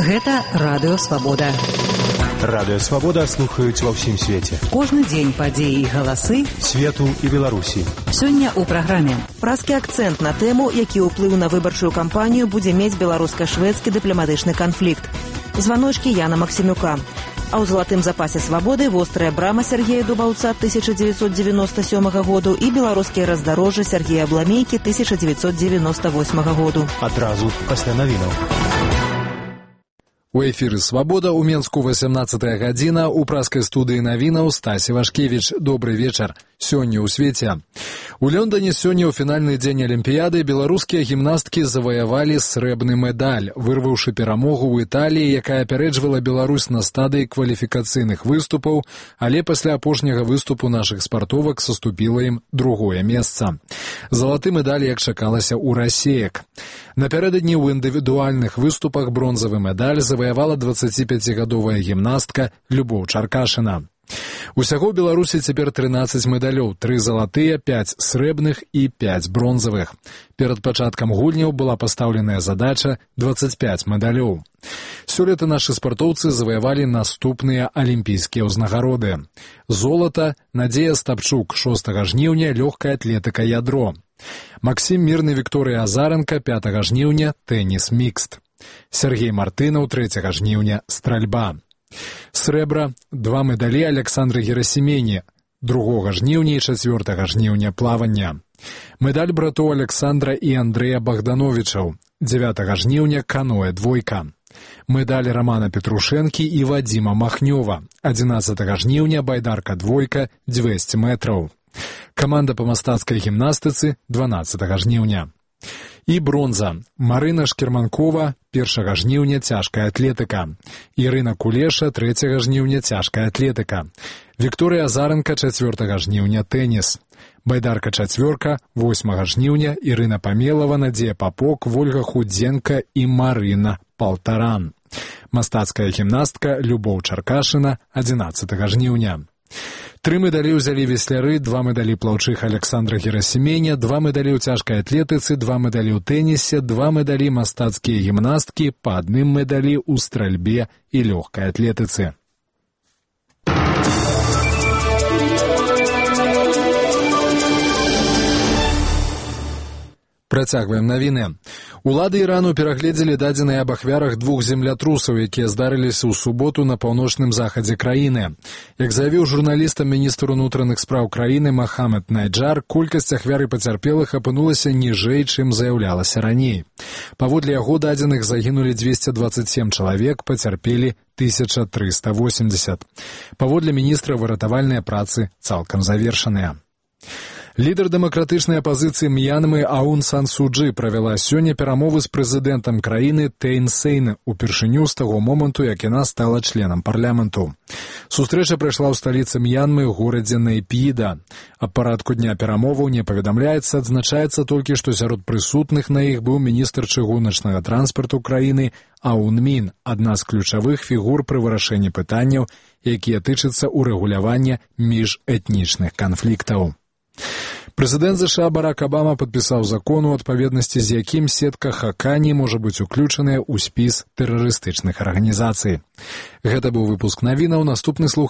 Гэта Радыё Свабода. Радыё Свабода слухаюць ва ўсім свеце. Кожны дзень падзеі і галасы свету і Беларусі. Сёння ў праграме. Празкі акцэнт на тэму, які ўплыў на выбарчую кампанію будзе мець беларуска-шведскі дыпламатычны канфлікт. Званочкі Яна Максімюка. А ў залатым запасе свабоды вострая брама Сергея Дубаўца 1997 году і беларускія раздарожжы Сергея Бламейкі 1998 году. Адразу пасля навінаў. У эфіры «Свабода» у Менску 18 гадзіна, у праскай студыі навінаў Стасі Вашкевіч. Добры вечар. Сёння ў свеце. У Лондоне сёння ў фінальны дзень Алімпіяды беларускія гімнасткі заваявалі срэбны медаль, вырваўшы перамогу ў Італіі, якая апярэджвала Беларусь на стадыі кваліфікацыйных выступаў, але пасля апошняга выступу нашых спартовак саступіла ім другое месца. Залаты медаль, як чакалася, у расеек. Напярэдадні ў індывідуальных выступах бронзавы медаль заваявала 25-гадовая гімнастка Любоў Чаркашына. Усяго ў Беларусі цяпер 13 медалёў, 3 залатыя, 5 срэбных і 5 бронзавых. Перад пачаткам гульняў была пастаўленая задача 25 медалёў. Сёлета нашы спартоўцы заваявалі наступныя алімпійскія ўзнагароды. Золата Надзея Стапчук 6 жніўня лёгкая атлетыка ядро. Максім Мірны Вікторыя Азаренка 5 жніўня тэніс мікст. Сергей Мартынаў 3 жніўня стральба. Срэбра 2 медалі Александры Герасімені 2 жніўня і 4 жніўня плавання. Медаль братоў Александра і Андрэя Богдановичаў 9 жніўня каноэ двойка. Медаль Романа Петрушэнкі і Вадзіма Махнёва 11 жніўня байдарка двойка 200 метраў. Каманда па мастацкай гімнастыцы 12 жніўня. І бронза. Марына Шкерманкова 1 жніўня цяжкая атлетыка. Ірына Кулеша 3 жніўня цяжкая атлетыка. Вікторыя Азаренка 4 жніўня тэніс. Байдарка чацвёрка 8 жніўня Ірына Памелава, Надзея Папок, Вольга Худзенка і Марына Палтаран. Мастацкая гімнастка Любоў Чаркашына 11 жніўня. 3 медалі ўзялі весляры, 2 медалі плаўчых Александра Герасіменя, 2 медалі ў цяжкай атлетыцы, 2 медалі ў тэнісе, 2 медалі мастацкія гімнасткі, па 1 медалі ў стральбе і лёгкай атлетыцы. Працягваем навіны. Улады Ірану перагледзелі дадзеныя аб ахвярах 2 землятрусаў, якія здарыліся ў суботу на паўночным захадзе краіны. Як заявіў журналістам міністр унутраных спраў краіны Махамед Найджар, колькасць ахвяр і пацярпелых апынулася ніжэй, чым заяўлялася раней. Паводле яго дадзеных загінулі 227 чалавек, пацярпелі 1380. Паводле міністра выратавальныя працы цалкам завершаныя. Лідар дэмакратычнай апазіцыі М'янмы Аун Сан Су Чжы правяла сёння перамовы з прэзідэнтам краіны Тэйн Сейн упершыню з таго моманту, як яна стала членам парламенту. Сустрэча прайшла ў сталіцы М'янмы, горадзе Нейпіда. Аб парадку дня перамоваў не паведамляецца, адзначаецца толькі, што сярод прысутных на іх быў міністр чыгуначнага транспарту краіны Аун Мін, адна з ключавых фігур пры вырашэнні пытанняў, якія тычацца ўрэгулявання міжэтнічных канфліктаў. Прэзідэнт США Барак Абама падпісаў закон, у адпаведнасці з якім сетка Хакані можа быць уключаная ў спіс тэрарыстычных арганізацый. Гэта быў выпуск навінаў, наступны слух